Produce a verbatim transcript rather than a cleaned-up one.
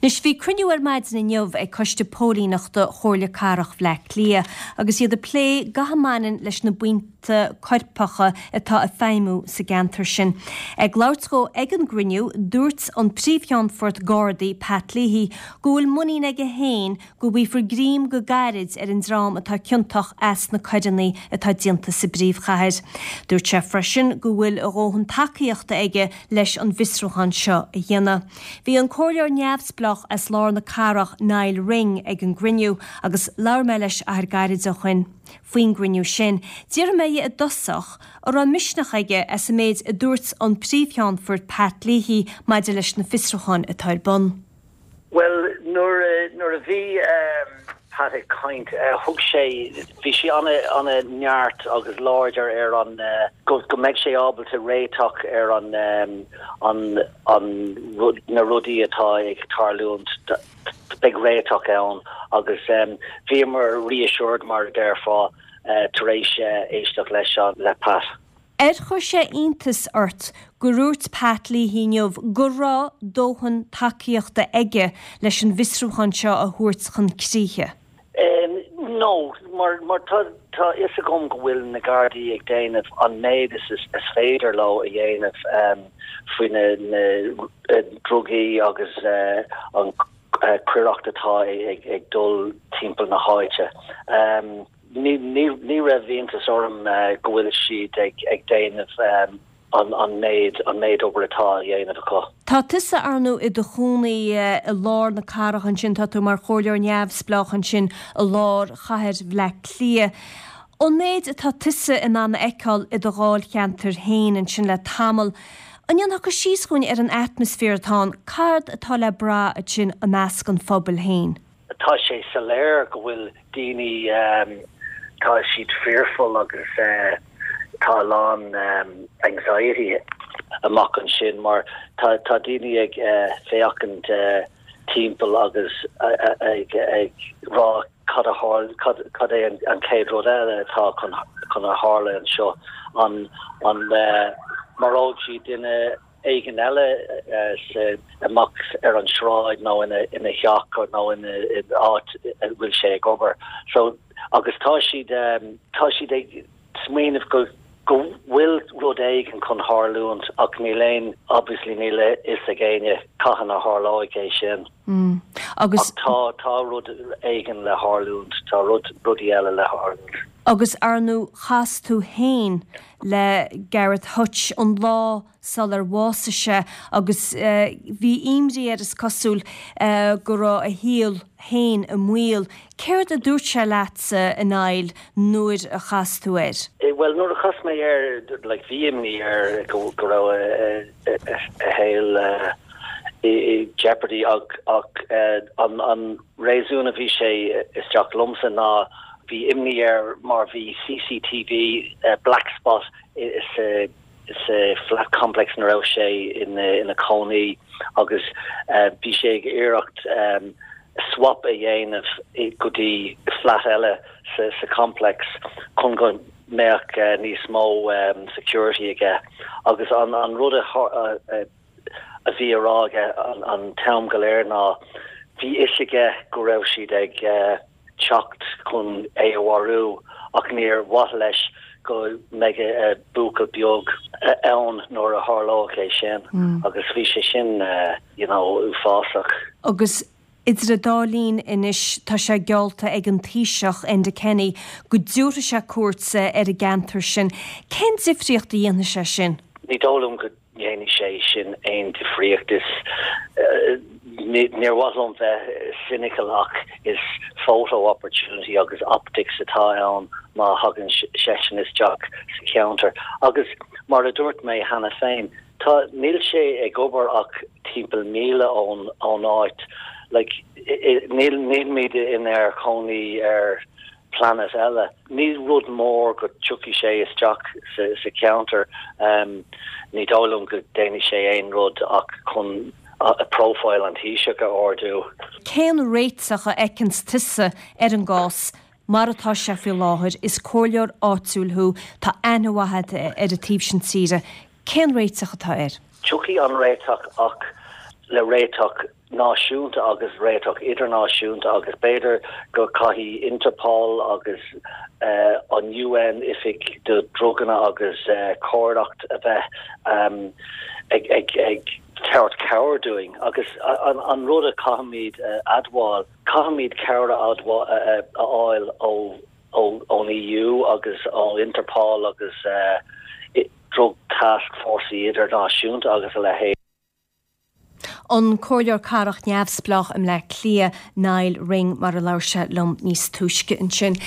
Anois bhí cruinniú ar maidin inniu ag Coiste Póilíneachta Chomhairle Cathrach Bhaile Átha Cliath agus iad ag plé gach a mbaineann leis na buíonta coirpeacha atá ag feidhmiú sa gceantar sin. Ag labhairt dó ag an gcruinniú dúirt an Príomhcheannfort Gardaí Pat Leahy go bhfuil muinín aige féin go bhfaighfear greim go gairid ar an dream atá ciontach as na coireanna atá déanta sa bpríomhchathair. Dúirt sé freisin go bhfuil a dhóthain tacaíochta aige leis an bhfiosrúchán seo a dhéanamh. Bhí an comhairleoir neamhspleách as lár na cathrach Niall Ring ag an gcruinniú agus labhair mé leis achar gairid ó shin faoin gcruinniú sin. D'iarr mé i dtosach an raibh misneach aige as an méid a dúirt an Príomhcheannfort Pat Leahy maidir leis na fiosrúcháin atá ar bun. Well nuair nuair a bhí um, Pat ag caint uh, thug sé bhí sé an- an-neart agus láidir ar an uh, go, go mbeidh sé ábalta réiteach ar an um, an, an rud, na rudaí atá ag tarlúint beidh réiteach ann agus um, bhíomar reassured mar a déarfá uh, tar éis uh, éisteacht leis an le Pat. Ar chuir sé iontas ort gur dhúirt Pat Leahy inniu go raibh dóthain tacaíochta aige leis an bhfiosrúchán seo a thabhairt chun críche. Um, no, mar mar tá tá a fhios agam go bhfuil na Gardaí ag déanamh an méid is is, is féidir leo a dhéanamh um, faoi na, na uh, drugaí agus uh, an uh, coireacht atá ag, ag dul timpeall na háite. Um, ní ní ní raibh iontas orm uh, go bhfuil siad ag ag déanamh um, an an méid an méid obair atá á dhéanamh acu. Tá tusa ar ndóigh i do chónaí i lár na cathrach ansin tá tú mar chomhairleoir neamhspleách ansin i lár chathair Bhaile Átha Cliath. An méid atá tusa in ann a fheiceáil i do dháilcheantar féin ansin le tamall, An ndéanfá cur síos dúinn ar an atmaisféar atá ann, cad atá le brath ansin i measc an phobail féin. Tá sé soiléir go bhfuil daoine um, tá siad fearful agus uh, tá a lán um, anxiety amach ansin mar tá tá daoine ag uh, féachaint uh, timpeall agus uh, uh, ag ag rá cad a tharla cad cad é an, an chéad rud eile atá chun chun a tharla anseo an an uh, maróidh siad duine éigin eile uh, sa amach ar an sráid nó ina ina theach nó ina in áit a bhfuil sé ag obair so agus tá siad um, tá siad ag smaoineamh go go bhfuil rud éigin chun tarlúint ach níl aon obviously níl a fhios ag éinne cathain a tharlóidh é sin. Mm. Agus Ach tá tá rud éigin le tarlúint tá rud rudaí eile le tarlúint. agus ar ndóigh chas tú féin le Gareth Hutch an lá sular bhásaigh sé agus uh, bhí imní air is cosúil uh, go raibh a shaol féin i mbaol. Céard a dúirt sé leatsa a Niall nuair a chas tú air? Eh, well nuair a chas mé air like bhí imní air go go raibh a shaol i jeopardy ach ach uh, an an réasún a bhí sé isteach liomsa ná bhí imní air mar bhí CCTV uh, black spot is uh, is uh, flat complex ina raibh sé ina ina cónaí agus uh, bhí sé ag iarracht um, swap a dhéanamh go dtí flat eile sa, sa complex chun go mbeadh uh, níos mó um, security aige agus an an rud a, a, a bhí á rá aige an, an t-am go léir ná bhí a fhios aige go raibh siad ag uh, teacht chun é a mharú ach níor mhaith leis go mbeadh a bhuachaill beag ann nuair a tharlódh é sin mm. agus bhí sé sin uh, you know, uafásach. Agus idir an dá linn anois tá sé geallta ag an Taoiseach Enda Kenny go dtabharfaidh sé cuairt ar an gceantar sin. Cén difríocht a dhéanfaidh sé sin? Ní dóigh liom go ndéanfaidh sé sin aon difríocht is uh, níor mhaith liom bheith cynical ach is photo opportunity agus optics atá ann má thagann seisean isteach sa cheantar agus mar a dúirt mé cheana féin tá níl sé ag obair ach timpeall míle ón ón áit like níl nílimid inár gcónaí ar planet eile. Ní rud mór go dtiocfaidh sé isteach sa, sa cheantar um, ní dóigh liom go ndéanfaidh sé aon rud ach chun a, a profile an Taoiseach a ardú. Cén réiteach a fheiceann tusa ar an gcás mar atá sé faoi láthair is comhairleoir áitiúil thú tá aithne mhaith ar an taobh sin tíre. Cén réiteach atá air? Tiocfaidh an réiteach ach le réiteach náisiúnta agus réiteach idirnáisiúnta agus b'fhéidir go caithfidh Interpol agus uh, an UN oifig do druganna agus uh, coireacht a bheith um, ag ag ag tabhairt cabhair dúinn agus an, an rud a caithfimid uh, admháil caithfimid cabhair a uh, a fháil ó ón EU agus ó Interpol agus uh, drug task force idirnáisiúnta agus a leithéid. An Comhairleoir Cathrach neamhspleách i mBleá Cliath Niall Ring mar a labhair sé liom níos túisce ansin.